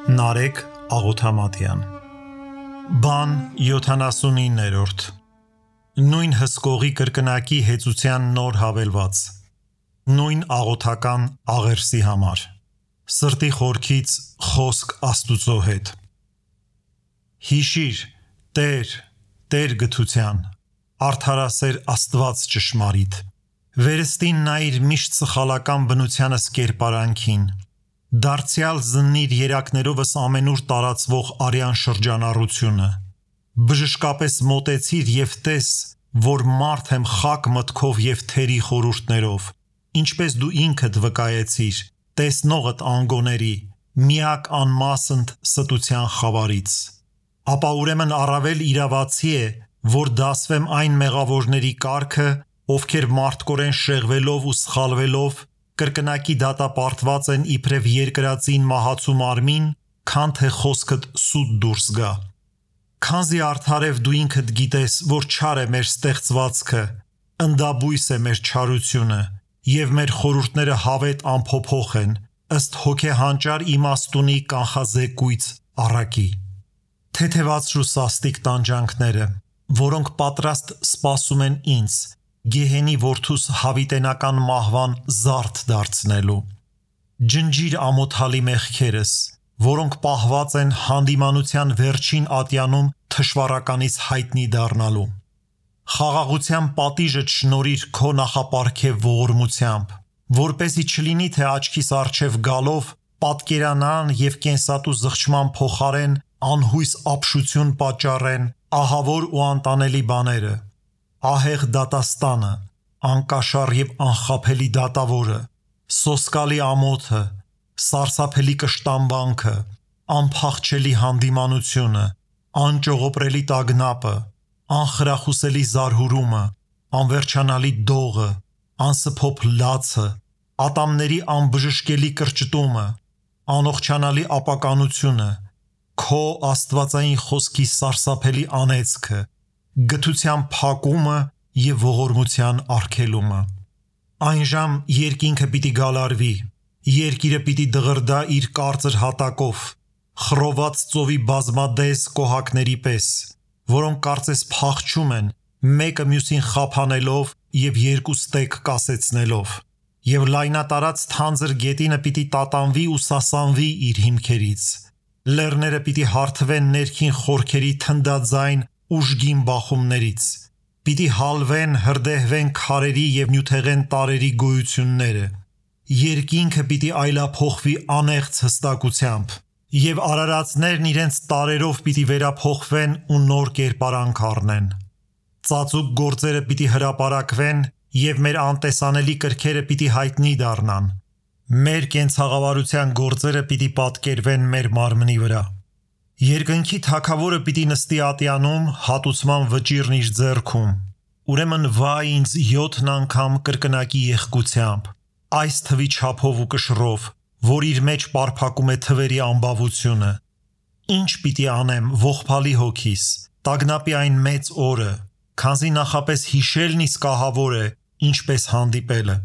Նարեկ Աղոթամատյան Բան 79-րդ Նույն հսկողի կրկնակի հեծության նոր հավելված Նույն աղոթական աղերսի համար Սրտի խորքից խոսք Աստուծո հետ Հիշիր, Տեր գթության Արդարասեր Աստված ճշմարիտ Վերստին նայիր միշտ սխալական բնությանս կերպարանքին Դարձյալ զննիր երակներովս ամենուր տարածվող արյան շրջանառությունը Բժշկապես մոտեցիր և տես, որ մարդ եմ խակ մտքով և թերի խորհուրդներով Ինչպես դու ինքդ վկայեցիր, տեսնողդ անգոների, միակ անմասնդ ստության խավարից Ապա ուրեմն առավել իրավացի է, որ դասվեմ այն մեղավորների կարգը, ովքեր մարդկորեն շեղվելով ու սխալվելով Կրկնակի դատապարտված են իբրև երկրածին մահացու մարմին, քան թե խոսքդ սուտ դուրս գա Քանզի արդարև դու ինքդ գիտես, որ չար է մեր ստեղծվածքը, ընդաբույս է մեր չարությունը և մեր խորհուրդները հավետ անփոփոխ են, ըստ հոգեհանճար իմաստունի կանխազեկույց առակի Թեթևացրու սաստիկ տանջանքները, որոնք պատրաստ սպասում են ինձ Գեհենի որդուս հավիտենական մահվան զարդ դարձնելու Ջնջիր ամոթալի մեղքերս, որոնք պահված են հանդիմանության վերջին ատյանում թշվառականից հայտնի դառնալու Խաղաղության պատիժդ շնորհիր քո նախապարգև ողորմությամբ, որպեսզի չլինի թե աչքիս առջև գալով պատկերանան և կենսատու զղջման փոխարեն անհույս ապշություն պատճառեն ահավոր ու անտանելի բաները Ահեղ դատաստանը, անկաշառ և անխաբելի դատավորը, սոսկալի ամոթը, սարսափելի կշտամբանքը, անփախչելի հանդիմանությունը, անճողոպրելի տագնապը, անխրախուսելի զարհուրումը, անվերջանալի դողը, անսփոփ լացը, ատամների անբժշկելի կրճտումը, անողջանալի ապականությունը, քո աստվածային խոսքի սարսափելի անեծքը, գթության փակումը և ողորմության արգելումը Այնժամ երկինքը պիտի գալարվի, երկիրը պիտի դղրդա իր կարծր հատակով, խռոված ծովի բազմադես կոհակների պես, որոնք կարծես փախչում են, մեկը մյուսին խափանելով և երկու ստեկ կասեցնելով Եվ լայնատարած թանձր գետինը պիտի տատանվի ու սասանվի իր հիմքերից Լեռները պիտի հարթվեն ներքին խորքերի թնդաձայն ուժգին բախումներից Պիտի հալվեն, հրդեհվեն քարերի և նյութեղեն տարրերի գոյությունները Երկինքը պիտի այլափոխվի անեղծ հստակությամբ Եվ արարածներն իրենց տարրերով պիտի վերափոխվեն ու նոր կերպարանք առնեն Ծածուկ գործերը պիտի հրապարակվեն և մեր անտեսանելի կրքերը պիտի հայտնի դառնան Մեր կենցաղավարության գործերը պիտի պատկերվեն մեր մարմնի վրա Երկնքի թագավորը պիտի նստի ատյանում հատուցման վճիռն իր ձեռքում Ուրեմն վայ ինձ 7 անգամ կրկնակի եղկությամբ Այս թվի չափով ու կշռով, որ իր մեջ պարփակում է թվերի ամբավությունը Ինչ պիտի անեմ ողբալի հոգիս, տագնապի այն մեծ օրը, քանզի նախապես հիշելն իսկ ահավոր է, ինչպես հանդիպելը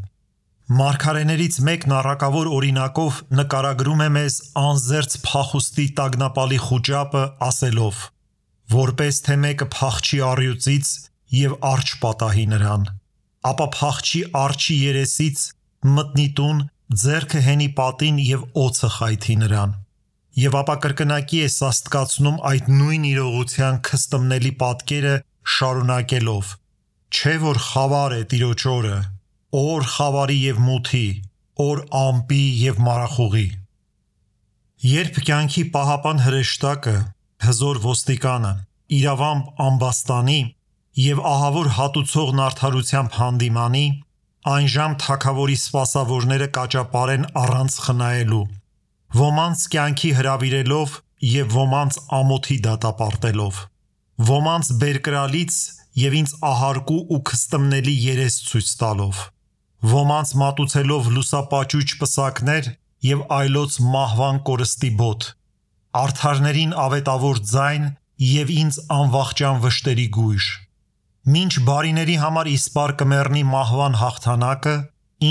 Մարգարեներից մեկն առակավոր օրինակով նկարագրում է մեզ անզերծ փախուստի տագնապալի խուճապը ասելով Որպես թե մեկը փախչի առյուծից և արջ պատահի նրան Ապա փախչի արջի երեսից, մտնի տուն, ձեռքը հենի պատին և օձը խայթի նրան Եվ ապա կրկնակի է սաստկացնում այդ նույն իրողության քստմնելի պատկերը շարունակելով Չէ որ խավար է Տիրոջ օրը Օր խավարի և մութի, օր ամպի և մարախուղի Երբ կյանքի պահապան հրեշտակը, հզոր ոստիկանը, իրավամբ ամբաստանի և ահավոր հատուցողն արդարությամբ հանդիմանի, այնժամ թագավորի սպասավորները կաճապարեն առանց խնայելու, ոմանց կյանքի հրավիրելով և ոմանց ամոթի դատապարտելով, ոմանց բերկրալից և ինձ ահարկու ու քստմնելի երես ցույց տալով, ոմանց մատուցելով լուսապաճույճ պսակներ և այլոց մահվան կորստի բոտ, արդարներին ավետավոր ձայն և ինձ անվախճան վշտերի գույժ Մինչ բարիների համար իսպառ կմեռնի մահվան հաղթանակը,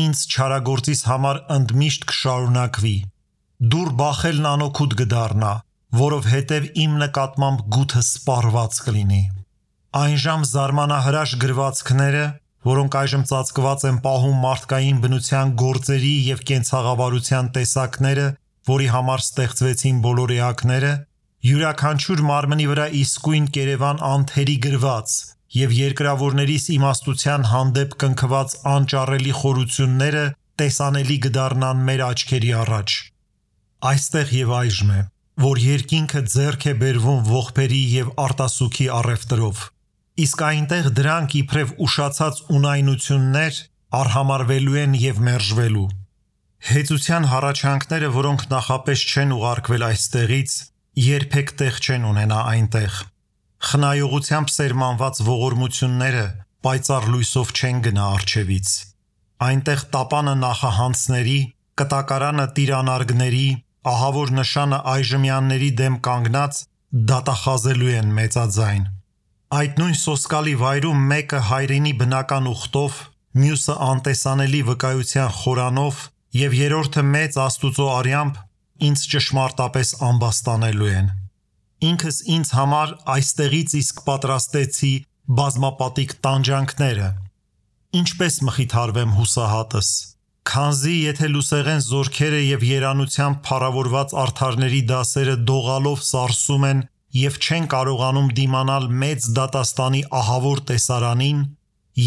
ինձ չարագործիս համար ընդմիշտ կշարունակվի Դուր բախելն անօգուտ կդառնա, որովհետև իմ նկատմամբ գութը սպառված կլինի։ Այնժամ զարմանահրաշ գրվածքները, որոնք այժմ ծածկված են պահում մարդկային բնության գործերի և կենցաղավարության տեսակները, որի համար ստեղծվեցին բոլոր էակները, յուրաքանչյուր մարմնի վրա իսկույն կերևան անթերի գրված և երկրավորներիս իմաստության հանդեպ կնքված անճառելի խորությունները տեսանելի կդառնան մեր աչքերի առաջ։ Այստեղ և այժմ է, որ երկինքը ձեռք է բերվում ողբերի և արտասուքի առևտրով, իսկ այնտեղ դրանք իբրև ուշացած ունայնություններ արհամարվելու են և մերժվելու։ Հեծության հառաչանքները, որոնք նախապես չեն ուղարկվել այստեղից, երբեք տեղ չեն ունենա այնտեղ։ Խնայողությամբ սերմանված ողորմությունները պայծառ լույսով չեն գնա առջևից։ Այնտեղ տապանը նախահանցների, կտակարանը տիրանարգների, ահավոր նշանը այժմյանների դեմ կանգնած դատախազելու են մեծաձայն։ Այդ նույն սոսկալի վայրում մեկը հայրենի բնական ուխտով, մյուսը անտեսանելի վկայության խորանով և երրորդը մեծ Աստուծո արյամբ ինձ ճշմարտապես ամբաստանելու են։ Ինքս ինձ համար այստեղից իսկ պատրաստեցի բազմապատիկ տանջանքները։ Ինչպես մխիթարվեմ հուսահատս, քանզի եթե լուսեղեն զորքերը և երանությամբ փառավորված արդարների դասերը դողալով սարսում են և չեն կարողանում դիմանալ մեծ դատաստանի ահավոր տեսարանին,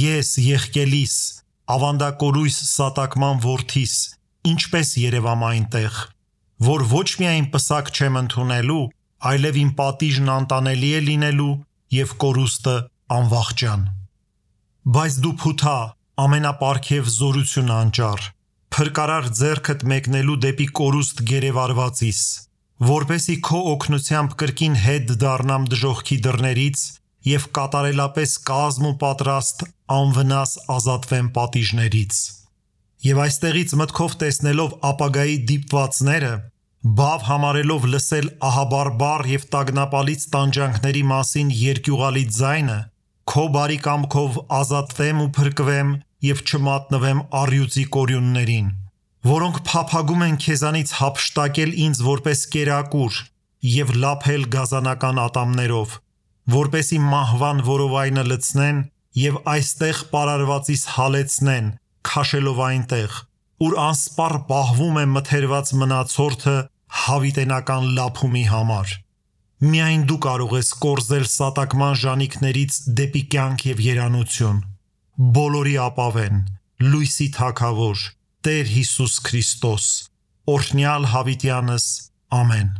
ես եղկելիս, ավանդակորույս սատակման որդիս, ինչպես երևամ այնտեղ, որ ոչ միայն պսակ չեմ ընդունելու, այլև իմ պատիժն անտանելի է լինելու և կորուստը անվախճան։ Բայց դու փութա, ամենապարգև զորություն անճառ, փրկարար ձեռքդ մեկնելու դեպի կորուստ գերեվարվածիս, որպեսզի քո օգնությամբ կրկին հետ դառնամ դժոխքի դռներից և կատարելապես կազմ ու պատրաստ անվնաս ազատվեմ պատիժներից։ Եվ այստեղից մտքով տեսնելով ապագայի դիպվածները, բավ համարելով լսել ահաբարբառ և տագնապալից տանջանքների մասին երկյուղալի ձայնը, քո բարի կամքով ազատվեմ ու փրկվեմ և չմատնվեմ առյուծի կորյուններին, որոնք փափագում են քեզանից հափշտակել ինձ որպես կերակուր և լափել գազանական ատամներով, որպեսզի մահվան որովայնը լցնեն և այստեղ պարարվածիս հալեցնեն, քաշելով այնտեղ, ուր անսպառ պահվում է մթերված մնացորդը հավիտենական լափումի համար։ Միայն դու կարող ես կորզել սատակման ժանիքներից դեպի կյանք և երանություն։ Բոլորի ապավեն, լույսի Թագավոր, Տեր Հիսուս Քրիստոս, օրհնյալ հավիտյանս, ամեն։